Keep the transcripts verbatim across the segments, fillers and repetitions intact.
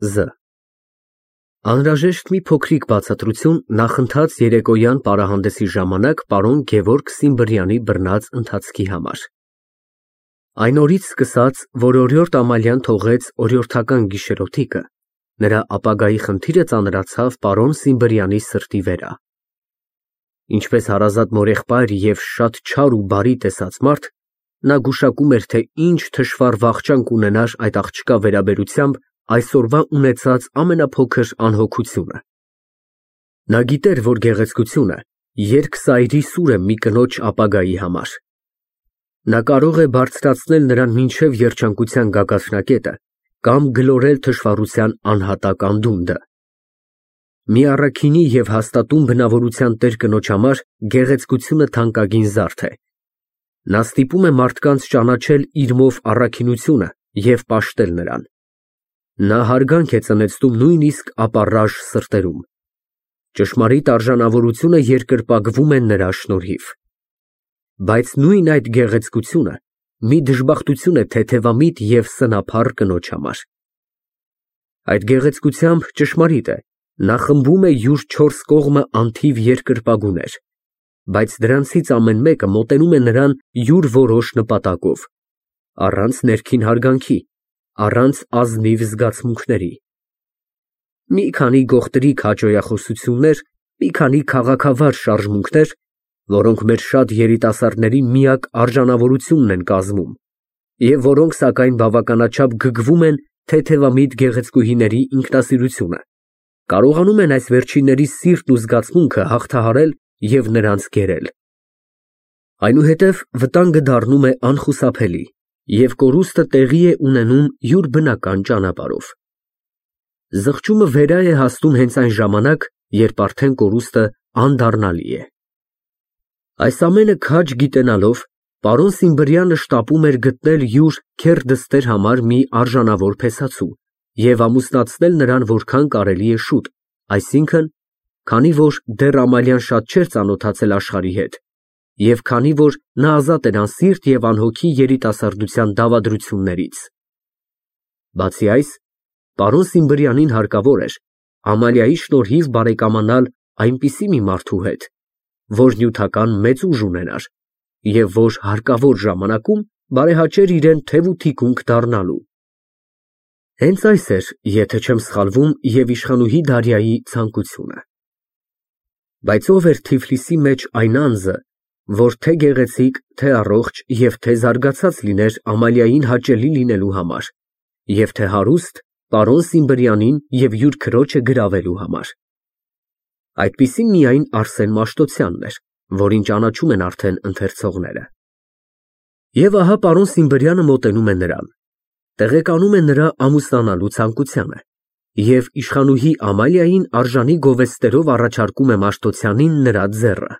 Զ Անհրաժեշտ մի փոքրիկ բացատրություն նախընթաց երեկոյան պարահանդեսի ժամանակ պարոն Գևորգ Սիմբրյանի բռնած ընթացքի համար։ Այն օրից սկսած, որ օրիորդ Ամալյան թողեց օրիորդական գիշերօթիկը, նրա ապագայի խնդիրը ծանրացավ պարոն Սիմբրյանի սրտի վրա։ Ինչպես հարազատ մորեղբայր և շատ չար ու բարի տեսած մարդ, նա գուշակում էր, թե ինչ թշվառ վախճան կունենար այդ աղջկա վերաբերությամբ այսօրվա ունեցած ամենափոքր անհոգությունը։ Նա գիտեր, որ գեղեցկությունը երկսայրի սուր է մի կնոջ ապագայի համար։ Նա կարող է բարձրացնել նրան մինչև երջանկության գագաթնակետը կամ գլորել թշվառության անհատակ անդունդը։ Մի առաքինի և հաստատուն բնավորության տեր կնոջ համար գեղեցկությունը թանկագին զարդ է։ Նա ստիպում է մարդկանց ճանաչել իրմով առաքինությունը և պաշտել նրան։ Նա հարգանք է ծնեցնում նույնիսկ ապառաժ սրտերում։ Ճշմարիտ արժանավորությունը երկրպագվում է նրա շնորհիվ։ Բայց նույն այդ գեղեցկությունը մի դժբախտություն է թեթևամիտ և սնափառ կնոջ համար։ Այդ գեղեցկությամբ, ճշմարիտ է, նա խմբում է յուր չորս կողմը անթիվ երկրպագուներ, բայց դրանցից ամեն մեկը մոտենում է նրան յուր որոշ նպատակով, առանց ներքին հարգանքի, առանց ազնիվ զգացմունքների։ Մի քանի գողտրիկ հաճոյախոսություններ, մի քանի քաղաքավար շարժմունքներ, որոնք մեր շատ երիտասարդների միակ արժանավորությունն են կազմում, և որոնք, սակայն, բավականաչափ գրկվում են թեթևամիտ գեղեցկուհիների ինքնասիրությունը, կարողանում են այս վերջինների սիրտն ու զգացմունքը հաղթահարել և նրանց կերել։ Այնուհետև վտանգը դառնում է անխուսափելի, և կորուստը տեղի է ունենում յուր բնական ճանապարհով։ Զղջումը վերա է հասնում հենց այն ժամանակ, երբ արդեն կորուստը անդառնալի է։ Այս ամենը քաջ գիտենալով, պարոն Սիմբրյանը շտապում էր գտնել յուր քեռ-դստեր համար մի արժանավոր փեսացու և ամուսնացնել նրան որքան կարելի է շուտ, այսինքն, քանի որ դեռ Ամալյան շատ չէր ծանոթացել աշխարհի հետ, և քանի որ նա ազատ էր անսիրտ և անհոգի երիտասարդության դավադրություններից։ Բացի այս, պարոն Սիմբրյանին հարկավոր էր Ամալիայի շնորհիվ բարեկամանալ այնպիսի մի մարդու հետ, որ նյութական մեծ ուժ ունենար և որ հարկավոր ժամանակում բարեհաճեր իրան թև ու թիկունք դառնալու։ Հենց այս էր, եթե չեմ սխալվում, և իշխանուհի Դարյայի ցանկությունը։ Բայց ո՞վ էր Թիֆլիսի մեջ այն անձը, որ թե գեղեցիկ, թե առողջ և թե զարգացած լիներ Ամալիային հաճելի լինելու համար, և թե հարուստ պարոն Սիմբրյանին և յուր քրոջը գրավելու համար։ Այդպիսին միայն Արսեն Մաշտոցյանն էր, որին ճանաչում են արդեն ընթերցողները։ Եվ ահա պարոն Սիմբրյանը մոտենում է նրան, տեղեկանում է նրա ամուսնանալու ցանկությանը և իշխանուհի Ամալիային արժանի գովեստերով առաջարկում է Մաշտոցյանին նրա ձեռը։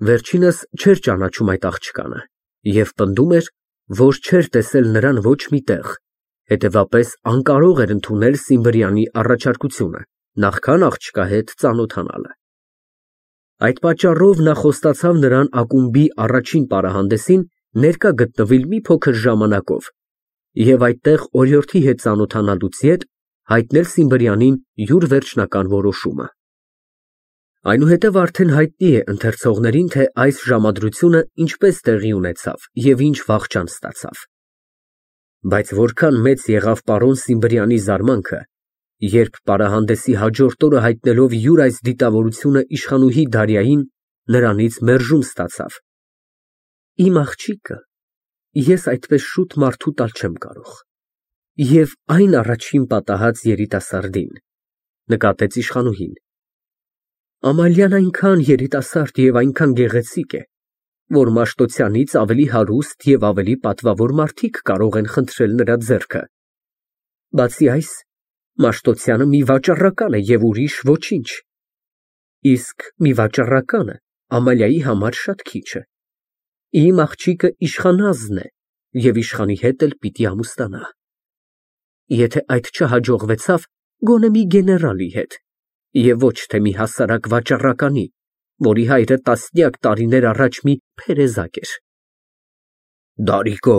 Վերջինս չէր ճանաչում այդ աղջկանը և պնդում էր, որ չէր տեսել նրան ոչ մի տեղ, հետևապես անկարող էր ընդունել Սիմբրյանի առաջարկությունը, նախքան աղջկա հետ ծանոթանալը։ Այդ պատճառով նա խոստացավ նրան ակումբի առաջին պարահանդեսին ներկա գտնվել մի փոքր ժամանակով և այդտեղ օրիորդի հետ ծանոթանալուց ետ հայտնել Սիմբրյանին յուր վերջնական որոշումը։ Այնուհետև արդեն հայտնի է ընթերցողներին, թե այս ժամադրությունը ինչպես տեղի ունեցավ և ինչ վախճան ստացավ։ Բայց որքան մեծ եղավ պարոն Սիմբրյանի զարմանքը, երբ պարահանդեսի հաջորդ օրը հայտնելով յուր այս դիտավորությունը իշխանուհի Դարյային, նրանից մերժում ստացավ։ Իմ աղջիկը ես այդպես շուտ մարդու տալ չեմ կարող, և այն առաջին պատահած երիտասարդին, նկատեց իշխանուհին։ Ամալյան այնքան երիտասարդ և այնքան գեղեցիկ է, որ Մաշտոցյանից ավելի հարուստ և ավելի պատվավոր մարդիկ կարող են խնդրել նրա ձեռքը։ Բացի այս, Մաշտոցյանը մի վաճառական է և ուրիշ ոչինչ, իսկ մի վաճառականը Ամալիայի համար շատ քիչ է։ Իմ աղջիկը իշխանազն է և իշխանի հետ էլ պիտի ամուսնանա։ Եթե այդ չհաջողվեցավ, գոնե մի գեներալի հետ, և ոչ թե մի հասարակ վաճառականի, որի հայրը տասնյակ տարիներ առաջ մի փերեզակ էր։ Դարիկո,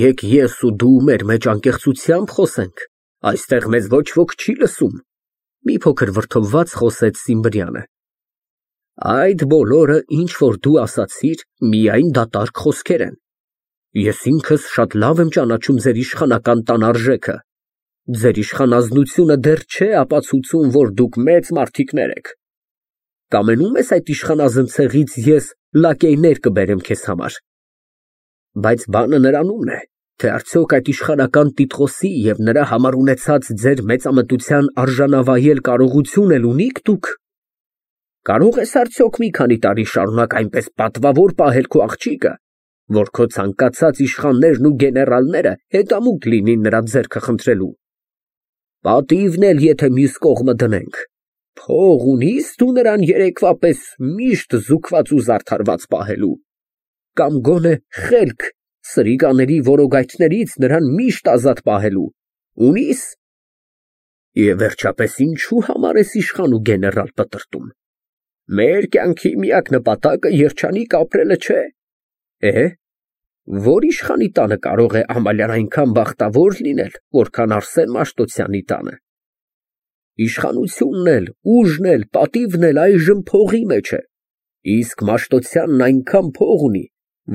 եկ ես ու դու մեր մեջ անկեղծությամբ խոսենք, Այստեղ մեզ ոչ ոք չի լսում։ Մի փոքր վրդովված խոսեց Սիմբրյանը։ Այդ բոլորը, ինչ որ դու ասացիր, միայն դատարկ խոսքեր են։ Ես ինքս շատ լավ եմ ճանաչում ձեր իշխանական տան արժեքը։ Ձեր իշխանազնությունը դեռ չէ ապացուցում, որ դուք մեծ մարդիկներ եք։ Կամենում ես այդ իշխանազն ցեղից ես լակեյներ կբերեմ քեզ համար։ Բայց բանը նրանումն է, թե արդյոք այդ իշխանական տիտղոսի և նրա համար ունեցած ձեր մեծամտության արժանավայել կարողություն էլ ունիք դուք։ Կարող ես արդյոք մի քանի տարի շարունակ այնպես պատվավոր պահել քո աղջիկը, որ քո ցանկացած իշխաններն ու գեներալները հետամուտ լինին նրա ձեռքը խնդրելու։ Պատիվն էլ եթե մյուս կողմը դնենք, փող ունի՞ս դու նրան երեկվա պես միշտ զուգված ու զարդարված պահելու, կամ գոնե խելք սրիկաների որոգայթներից նրան միշտ ազատ պահելու, ունի՞ս։ Եվ վերջապես ինչու համար ես իշխան ու գեներալ պտրտում։ Մեր կյանքի միակ նպատակը երջանիկ ապրելը չէ։ Է, որ իշխանի տանը կարող է Ամալյան այնքան բախտավոր լինել, որքան Արսեն Մաշտոցյանի տանը։ Իշխանությունն էլ, ուժն էլ, պատիվն էլ այժմ փողի մեջ է, իսկ Մաշտոցյանն այնքան փող ունի,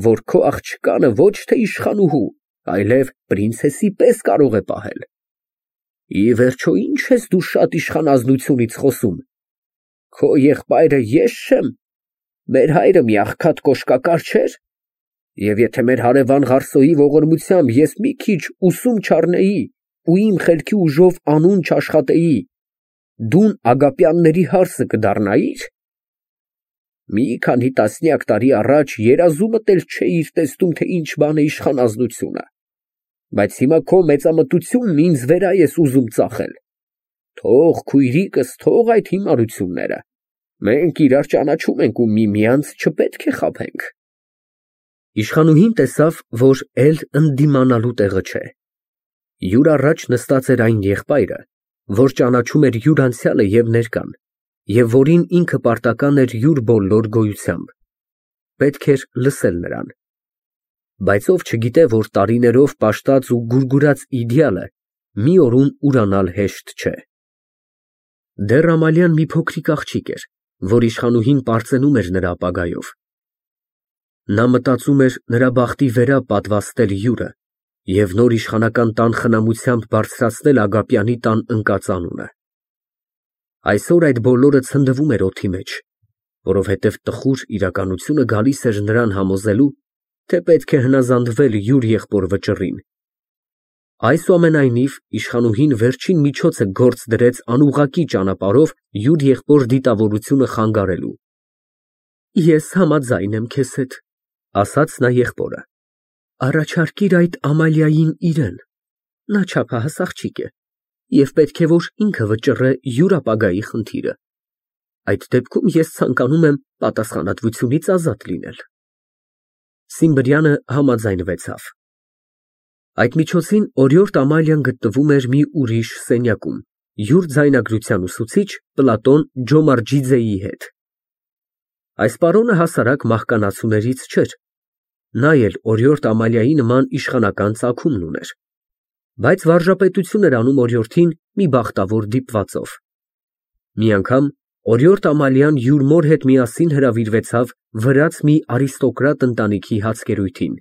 որ քո աղջկանը ոչ թե իշխանուհու, այլև պրինցեսի պես կարող է պահել։ Ի վերջո, ինչ ես դու շատ իշխանազնությունից խոսում։ Քո եղբայրը ես չեմ, մեր հայրը մի աղքատ կոշկակար չէր, և եթե մեր հարևան Ղարսոյի ողորմությամբ ես մի քիչ ուսում չառնեի ու իմ խելքի ուժով անուն չաշխատեի, դուն Ագապյանների հարսը կդառնայի՞ր։ Մի քանի տասնյակ տարի առաջ երազումդ էլ չէիր տեսնում, թե ինչ բան է իշխանազնությունը, բայց հիմա քո մեծամտությունն ինձ վրա ես ուզում ծախել։ Թող քույրիկս, թող այդ հիմարությունները, մենք իրար ճանաչում ենք ու միմյանց չպետք է խաբենք։ Իշխանուհին տեսավ, որ էլ ընդդիմանալու տեղը չէ։ Յուր առաջ նստած էր այն եղբայրը, որ ճանաչում էր յուր անցյալը և ներկան, և որին ինքը պարտական էր յուր բոլոր գոյությամբ։ Պետք էր լսել նրան։ Բայց ով չգիտե, որ տարիներով պաշտած ու գուրգուրած իդեալը մի օրում ուրանալ հեշտ չէ։ Դեռ Ամալյան մի փոքրիկ աղջիկ էր, որ իշխանուհին պարծենում էր նրա ապագայով։ Նա մտածում էր նրա բախտի վրա պատվաստել յուրը և նոր իշխանական տան խնամությամբ բարձրացնել Ագապյանի տան ընկած անունը։ Այսօր այդ բոլորը ցնդվում էր օդի մեջ, որովհետև տխուր իրականությունը գալիս էր նրան համոզելու, թե պետք է հնազանդվել յուր եղբոր վճռին։ Այսուամենայնիվ, իշխանուհին վերջին միջոցը գործ դրեց անուղղակի ճանապարհով յուր եղբոր դիտավորությունը խանգարելու։ Ես համաձայն եմ քեզ հետ, ասաց նա եղբորը, առաջարկիր այդ Ամալիային իրեն, նա չափահաս աղջիկ է, և պետք է, որ ինքը վճռե յուր ապագայի խնդիրը։ Այդ դեպքում ես ցանկանում եմ պատասխանատվությունից ազատ լինել։ Սիմբրյանը համաձայնվեցավ։ Այդ միջոցին օրիորդ Ամալիան գտնվում էր մի ուրիշ սենյակում, յուր ձայնագրության ուսուցիչ Պլատոն Ջոմարջիձեի հետ։ Այս պարոնը հասարակ մահկանացուներից չէր, նա էլ օրիորդ Ամալիայի նման իշխանական ծագումն ուներ, բայց վարժապետություն էր անում օրիորդին մի բախտավոր դիպվածով։ Մի անգամ օրիորդ Ամալիան յուր մոր հետ միասին հրավիրվեցավ վրաց մի արիստոկրատ ընտանիքի հացկերույթին։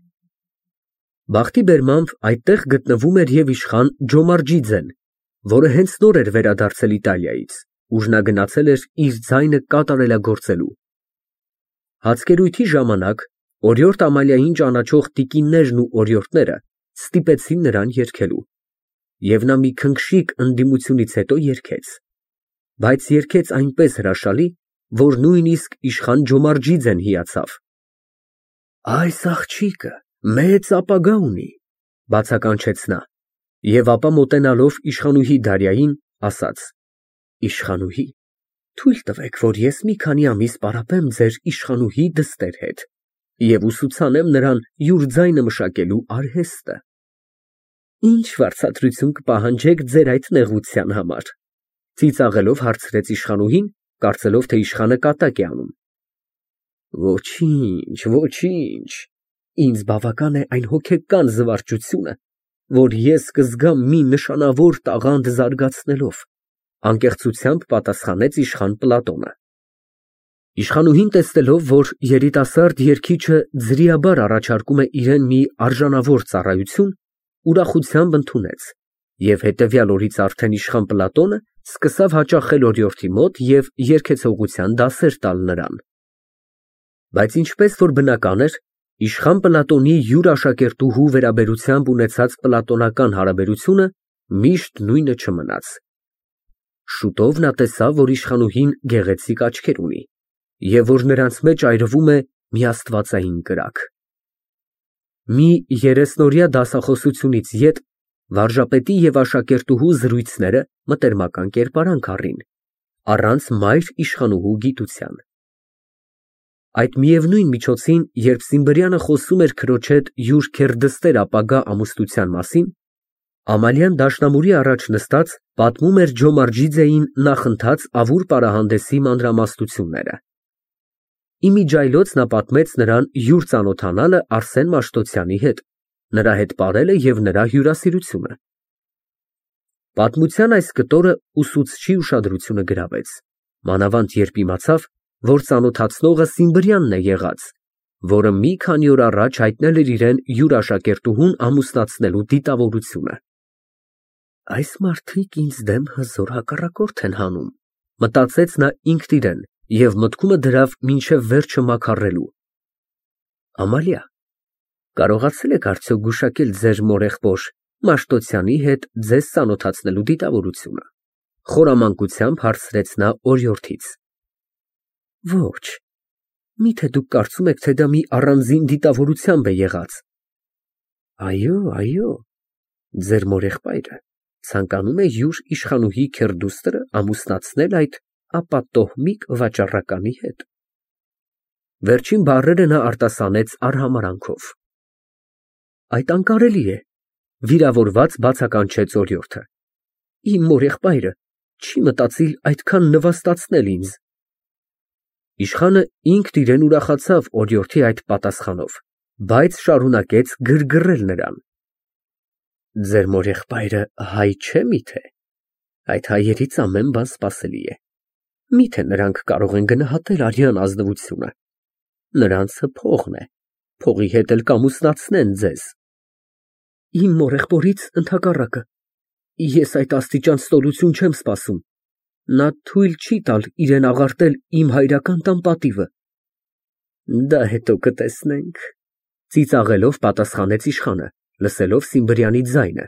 Բախտի բերմամբ այդտեղ գտնվում էր և իշխան Ջոմարջիձեն, որը հենց նոր էր վերադարձել Իտալիայից, ուր նա գնացել էր իր ձայնը կատարելագործելու։ Հացկերույթի ժամանակ օրիորդ Ամալիային ճանաչող տիկիններն ու օրիորդները ստիպեցին նրան երգելու, և նա մի քնքշիկ ընդդիմությունից հետո երգեց, բայց երգեց այնպես հրաշալի, որ նույնիսկ իշխան Ջոմարջիձեն հիացավ։ Այս աղջիկը մեծ ապագա ունի, բացականչեց նա, և ապա մոտենալով իշխանուհի Դարյային, ասաց. Իշխանուհի, թույլ տվեք, որ ես մի քանի ամիս պարապեմ ձեր իշխանուհի դստեր հետ և ուսուցանեմ նրան յուր ձայնը մշակելու արհեստը։ Ինչ վարձատրություն կպահանջեք ձեր այդ նեղության համար, ծիծաղելով հարցրեց իշխանուհին, կարծելով, թե իշխանը կատակ է անում։ Ոչինչ, ոչինչ, ինձ բավական է այն հոգեկան զվարճությունը, որ ես կզգամ մի նշանավոր տաղանդ զարգացնելով, անկեղծությամբ պատասխանեց իշխան Պլատոնը։ Իշխանուհին, տեսնելով, որ երիտասարդ երգիչը ձրիաբար առաջարկում է իրան մի արժանավոր ծառայություն, ուրախությամբ ընդունեց և հետևյալ օրից արդեն իշխան Պլատոնը սկսավ հաճախել օրիորդի մոտ և երգեցողության դասեր տալ նրան։ Բայց ինչպես որ բնական էր, իշխան Պլատոնի յուր աշակերտուհու վերաբերությամբ ունեցած պլատոնական հարաբերությունը միշտ նույնը չմնաց։ Շուտով նա տեսավ, որ իշխանուհին գեղեցիկ աչքեր ունի և որ նրանց մեջ այրվում է մի աստվածային կրակ։ Մի երեսնօրյա դասախոսությունից ետ վարժապետի և աշակերտուհու զրույցները մտերմական կերպարանք առին, առանց մայր իշխանուհու գիտության։ Այդ միևնույն միջոցին, երբ Սիմբրյանը խոսում էր քրոջ հետ յուր քերդստեր ապագա ամուսնության մասին, Ամալիան դաշնամուրի առաջ նստած պատմում էր Ջոմարջիձեին նախընթաց ավուր պարահանդեսի մանրամասնությունները։ Իմիջիայլոց նա պատմեց նրան յուր ծանոթանալը Արսեն Մաշտոցյանի հետ, նրա հետ պարելը և նրա հյուրասիրությունը։ Պատմության այս կտորը ուսուցչի ուշադրությունը գրավեց, մանավանդ երբ իմացավ, որ ծանոթացնողը Սիմբրյանն է եղած, որը մի քանի օր առաջ հայտնել էր իրան յուր աշակերտուհուն ամուսնացնելու դիտավորությունը։ Այս մարդիկ ինձ դեմ հզոր հակառակորդ են հանում, մտածեց նա ինքն իրեն և մտքումը դրավ մինչև վերջը մաքարելու։ Ամալիա, կարողացե՞լ եք արդյոք գուշակել ձեր մորեղբոր Մաշտոցյանի հետ ձեզ ծանոթացնելու դիտավորությունը, խորամանկությամբ հարցրեց նա օրիորդից։ Ոչ, միթե դուք կարծում եք, թե դա մի առանձին դիտավորությամբ է եղած։ Այո, այո, ձեր մորեղբայրը ցանկանում է յուր իշխանուհի քերդուստրը ամուսնացնել այդ ապատոհմիկ վաճառականի հետ։ Վերջին բառերը նա արտասանեց արհամարհանքով։ Այդ անկարելի է, վիրավորված բացականչեց օրիորդը։ Իմ մորեղբայրը չի մտածիլ այդքան նվաստացնել ինձ։ Իշխանը ինքն իրեն ուրախացավ օրիորդի այդ պատասխանով, բայց շարունակեց գրգռել նրան։ Ձեր մորեղբայրը հայ չէ՞ միթե։ Այդ հայերից ամեն բան սպասելի է։ Միթե նրանք կարող են գնահատել արյան ազնվությունը։ Նրանցը փողն է, փողի հետ էլ կամուսնացնեն ձեզ։ Իմ մորեղբորից ընդհակառակը, ես այդ աստիճան ստորություն չեմ սպասում։ Նա թույլ չի տալ իրան աղարտել իմ հայրական տան պատիվը։ Դա հետո կտեսնենք, ծիծաղելով պատասխանեց իշխանը, լսելով Սիմբրյանի ձայնը,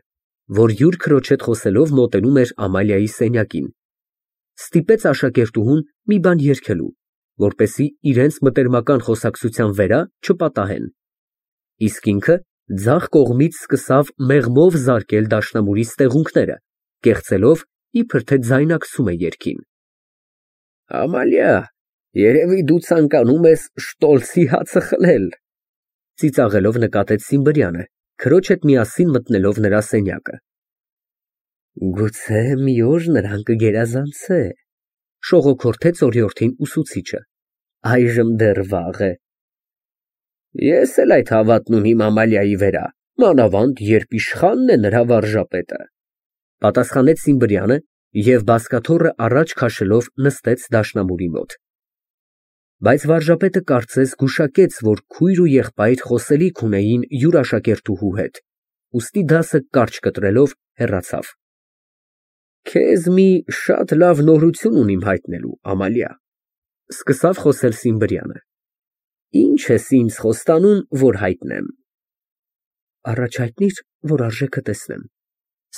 որ յուր քրոջ հետ խոսելով մոտենում էր Ամալիայի սենյակին, ստիպեց աշակերտուհուն մի բան երգելու, որպեսզի իրենց մտերմական խոսակցության վերա չպատահեն, իսկ ինքը ձախ կողմից սկսավ մեղմով զարկել դաշնամուրի ստեղունքները, կեղծելով, իբր թե ձայնակցում է երգին։ Ամալիա, երևի դու ցանկանում ես Շտոլցի հացը խլել, ծիծաղելով նկատեց Սիմբրյանը, քրոջ հետ միասին մտնելով նրա սենյակը։ Գուցե մի օր նրան կգերազանցե, շողոքորթեց օրիորդին ուսուցիչը, այժմ դեռ վաղ է։ Ես էլ այդ հավատն ունիմ Ամալիայի վրա, մանավանդ երբ իշխանն է նրա վարժապետը, պատասխանեց Սիմբրյանը և բազկաթոռը առաջ քաշելով նստեց դաշնամուրի մոտ։ Բայց վարժապետը կարծես գուշակեց, որ քույր ու եղբայր խոսելիք ունեին յուր աշակերտուհու հետ, ուստի դասը կարճ կտրելով հեռացավ։ Քեզ մի շատ լավ նորություն ունիմ հայտնելու, Ամալիա, սկսավ խոսել Սիմբրյանը։ Ինչ ես ինձ խոստանում, որ հայտնեմ։ Առաջ հայտնիր, որ արժեքը տեսնեմ,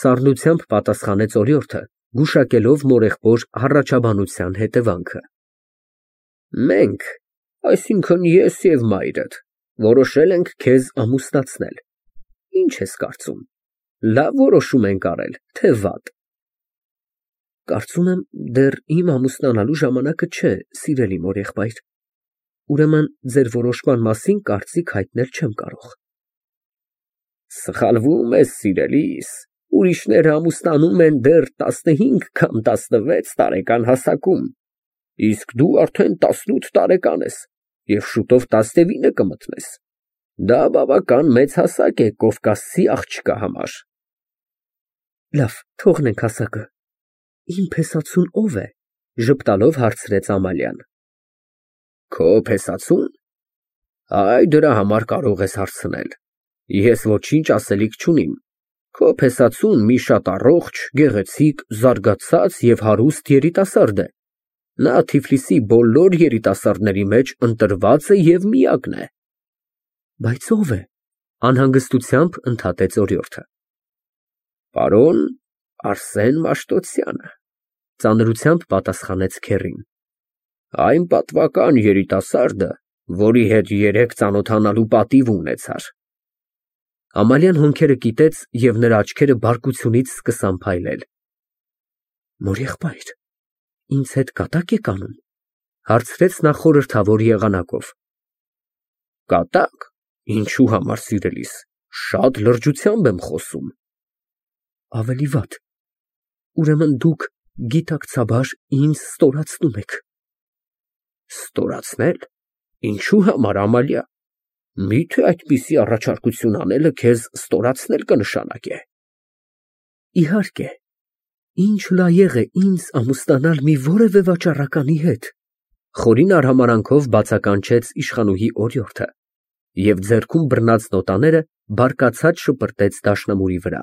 սառնությամբ պատասխանեց օրիորդը, գուշակելով մորեղբոր հառաչաբանության հետևանքը։ Մենք, այսինքն ես և մայրդ, որոշել ենք քեզ ամուսնացնել։ Ինչ ես կարծում, լավ որոշում ենք արել, թե վատ։ Կարծում եմ, դեռ իմ ամուսնանալու ժամանակը չէ, սիրելի մորեղբայր, ուրեմն ձեր որոշման մասին կարծիք հայտնել չեմ կարող։ Սխալվում ես, սիրելիս, ուրիշները ամուսնանում են դեռ տասնհինգ կամ տասնվեց տարեկան հասակում, իսկ դու արդեն տասնութ տարեկան ես և շուտով տասնինը կմտնես։ Դա բավական մեծ հասակ է կովկասցի աղջկա համար։ Լավ, թողնենք հասակը։ Իմ փեսացուն ո՞վ է, ժպտալով հարցրեց Ամալիան։ Քո փեսացու՞ն։ Այ դրա համար կարող ես հարցնել։ Ես ոչինչ ասելիք չունիմ։ Քո փեսացուն մի շատ առողջ, գեղեցիկ, զարգացած և հարուստ երիտասարդ է։ Նա Թիֆլիսի բոլոր երիտասարդների մեջ ընտրված է և միակն է։ Բայց ո՞վ է, անհանգստությամբ ընդհատեց օրիորդը։ Պարոն Արսեն Մաշտոցյանը, ծանրությամբ պատասխանեց քեռին։ Այն պատվական երիտասարդը, որի հետ երեկ ծանոթանալու պատիվ ունեցար։ Ամալիան հոնքերը կիտեց և նրա աչքերը բարկությունից սկսան փայլել։ Մորեղբայր, ինձ հետ կատա՞կ եք անում, հարցրեց նա խորհրդավոր եղանակով։ Կատակ, ինչու համար սիրելիս, շատ լրջությամբ եմ խոսում։ Ավելի վատ, ուրեմն դուք գիտակցաբար ինձ ստորացնում եք։ Ստորացնել, ինչու համար Ամալիա, միթե այդպիսի առաջարկություն անելը քեզ ստորացնել կնշանակե։ Իհարկե, ինչ լայեղ է ինձ ամուսնանալ մի որևէ վաճառականի հետ, խորին արհամարանքով բացականչեց իշխանուհի օրիորդը և ձեռքում բռնած նոտաները բարկացած շպրտեց դաշնամուրի վրա։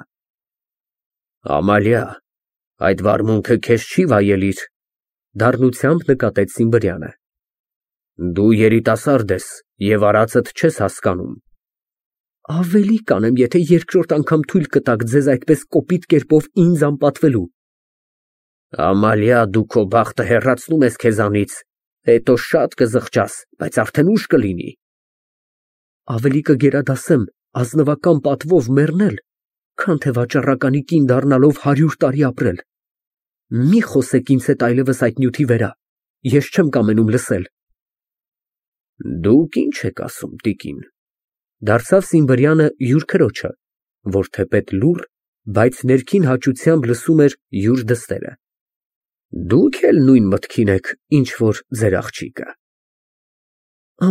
Ամալիա, այդ վարմունքը քեզ չի վայելիր, դառնությամբ նկատեց Սիմբրյանը։ Դու երիտասարդ ես և արածդ չես հասկանում։ Ավելի կանեմ, եթե երկրորդ անգամ թույլ կտաք ձեզ այդպես կոպիտ կերպով ինձ անպատվելու։ Ամալիա, դու քո բախտը հեռացնում ես քեզանից, հետո շատ կզղջաս, բայց արդեն ուշ կլինի։ Ավելի կգերադասեմ ազնվական պատվով մեռնել, քան թե վաճառականի կին դառնալով հարյուր տարի ապրել։ Մի խոսեք ինձ հետ այլևս այդ նյութի վերա, ես չեմ կամենում լսել։ Դուք ինչ եք ասում, տիկին, դարձավ Սիմբրյանը յուր քրոջը, որ թեպետ լուռ, բայց ներքին հաճությամբ լսում էր յուր դստերը։ Դուք էլ նույն մտքին եք, ինչ որ ձեր աղջիկը։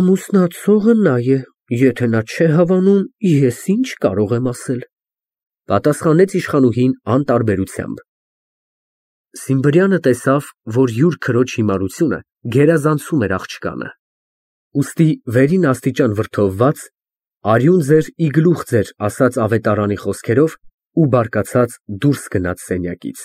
Ամուսնացողը նա է, եթե նա չէ հավանում, ես ինչ կարող եմ ասել, պատասխանեց իշխանուհին անտարբերությամբ։ Սիմբրյանը տեսավ, որ յուր քրոջ հիմարությունը գերազանցում էր աղջկանը, ուստի վերին աստիճան վրդովված, արյուն ձեր ի գլուխ ձեր ասաց ավետարանի խոսքերով ու բարկացած դուրս գնաց սենյակից։